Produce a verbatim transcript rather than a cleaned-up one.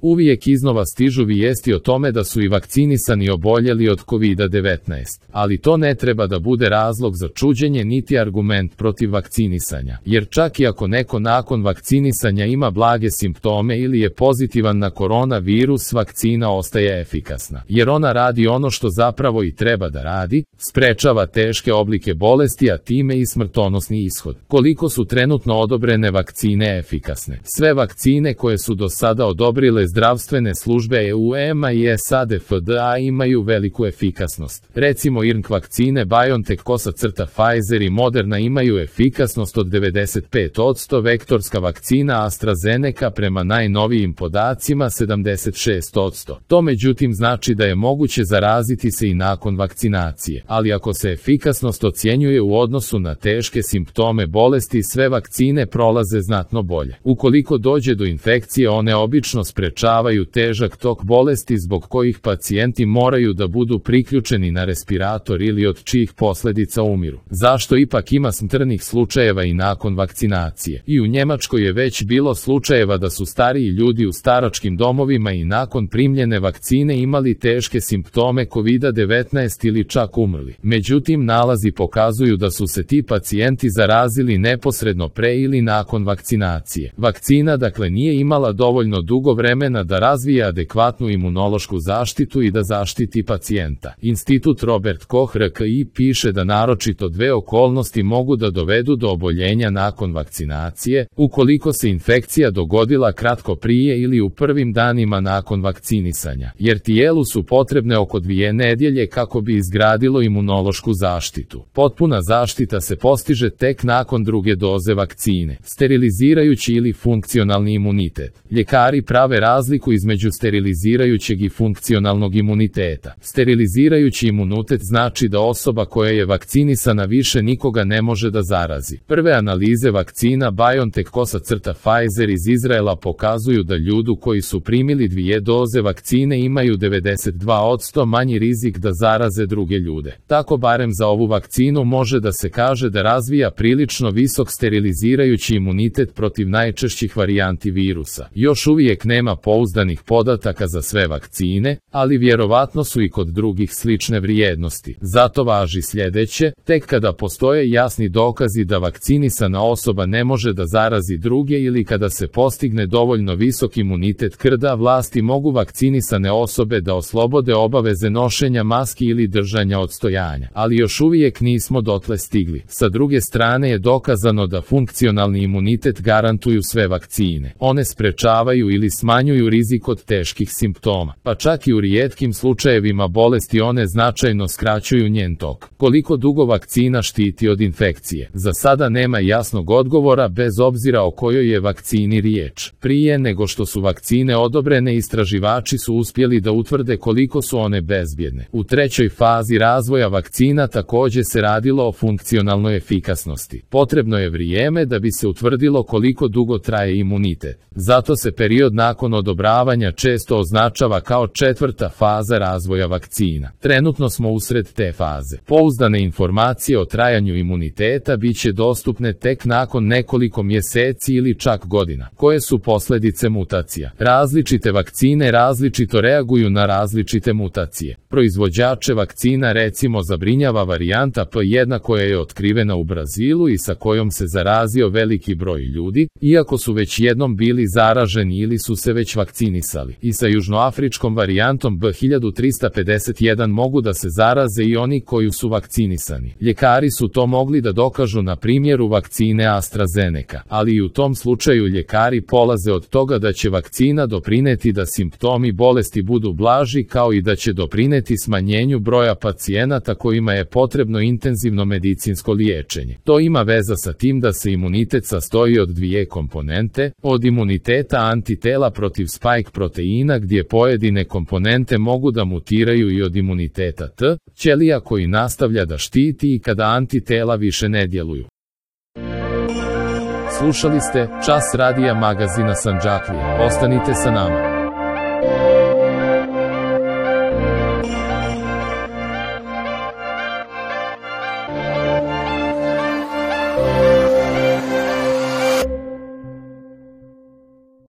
Uvijek iznova stižu vijesti o tome da su i vakcinisani oboljeli od kovid devetnaest, ali to ne treba da bude razlog za čuđenje niti argument protiv vakcinisanja, jer čak i ako neko nakon vakcinisanja ima blage simptome ili je pozitivan na koronavirus, vakcina ostaje efikasna, jer ona radi ono što zapravo i treba da radi, sprečava teške oblike bolesti, a time i smrtonosni ishod. Koliko su trenutno odobrene vakcine efikasne? Sve vakcine koje su do sada odobrile zdravstvene službe E U E-a i S A D F D A imaju veliku efikasnost. Recimo I R N K vakcine BioNTech, Pfizer i Moderna imaju efikasnost od devedeset pet posto, vektorska vakcina AstraZeneca prema najnovijim podacima sedamdeset šest posto. To međutim znači da je moguće zaraziti se i nakon vakcinacije, ali ako se efikasnost ocjenjuje u odnosu na teške simptome bolesti, sve vakcine prolaze znatno bolje. Ukoliko dođe do infekcije, one obično sprečavaju težak tok bolesti zbog kojih pacijenti moraju da budu priključeni na respirator ili od čijih posljedica umiru. Zašto ipak ima smrtnih slučajeva i nakon vakcinacije? I u Njemačkoj je već bilo slučajeva da su stariji ljudi u staračkim domovima i nakon primljene vakcine imali teške simptome kovid devetnaest ili čak umrli. Međutim, nalazi pokazuju da su se ti pacijenti zarazili neposredno pre ili nakon vakcinacije. Vakcina dakle nije imala dovoljno dugo vremena da razvije adekvatnu imunološku zaštitu i da zaštiti pacijenta. Institut Robert Koch R K I piše da naročito dve okolnosti mogu da dovedu do oboljenja nakon vakcinacije, ukoliko se infekcija dogodila kratko prije ili u prvim danima nakon vakcinisanja, jer tijelu su potrebne oko dvije nedjelje kako bi izgradilo imunološku zaštitu. Potpuna zaštita se postiže tek nakon druge doze vakcine. Sterilizirajući ili funkcionalni imunitet. Ljekari prave razliku između sterilizirajućeg i funkcionalnog imuniteta. Sterilizirajući imunitet znači da osoba koja je vakcinisana više nikoga ne može da zarazi. Prve analize vakcina BioNTech, Pfizer iz Izraela pokazuju da ljudi koji su primili dvije doze vakcine imaju devedeset dva posto manji rizik da zaraze druge ljude. Tako barem za ovu vakcinu može da se kaže da razvija prilično visok sterilizirajući imunitet protiv najčešćih varijanti virusa. Još uvijek nema pouzdanih podataka za sve vakcine, ali vjerovatno su i kod drugih slične vrijednosti. Zato važi sljedeće: tek kada postoje jasni dokazi da vakcinisana osoba ne može da zarazi druge ili kada se postigne dovoljno visok imunitet krda, vlasti mogu vakcinisane osobe da oslobode obaveze nošenja maski ili držanja odstojanja. Ali još uvijek nismo dotle stigli. Sa druge strane je dokazano da funkcionalni imunitet garantuju sve vakcine. One sprečavaju ili smanjuju rizik od teških simptoma, pa čak i u rijetkim slučajevima bolesti one značajno skraćuju njen tok. Koliko dugo vakcina štiti od infekcije? Za sada nema jasnog odgovora, bez obzira o kojoj je vakcini riječ. Prije nego što su vakcine odobrene, istraživači su uspjeli da utvrde koliko su one bezbjedne. U trećoj fazi razvoja vakcina također se radilo o funkcionalnoj efikasnosti. Potrebno je vrijeme da bi se utvrdilo koliko dugo traje imunitet. Zato se period nakon odobravanja često označava kao četvrta faza razvoja vakcina. Trenutno smo usred te faze. Pouzdane informacije o trajanju imuniteta bit će dostupne tek nakon nekoliko mjeseci ili čak godina. Koje su posljedice mutacija? Različite vakcine različito reaguju na različite mutacije. Proizvođače vakcina recimo zabrinjava varijanta P jedan koja je otkrivena u Brazilu i sa kojom se zarazio veliki broj ljudi, iako su već jednom bili zaraženi ili su se već vakcinisali. I sa južnoafričkom varijantom B hiljadu trista pedeset jedan mogu da se zaraze i oni koji su vakcinisani. Ljekari su to mogli da dokažu na primjeru vakcine AstraZeneca, ali i u tom slučaju ljekari polaze od toga da će vakcina doprineti da simptomi bolesti budu blaži, kao i da će doprineti smanjenju broja pacijenata kojima je potrebno intenzivno medicinsko liječenje. To ima veza sa tim da se imunitet sastoji od dvije komponente, od imuniteta antitela protiv spike proteina gdje pojedine komponente mogu da mutiraju, i od imuniteta T ćelija koji nastavlja da štiti i kada antitela više ne djeluju. Slušali ste Čas radija magazina Sandžaklija. Ostanite sa nama.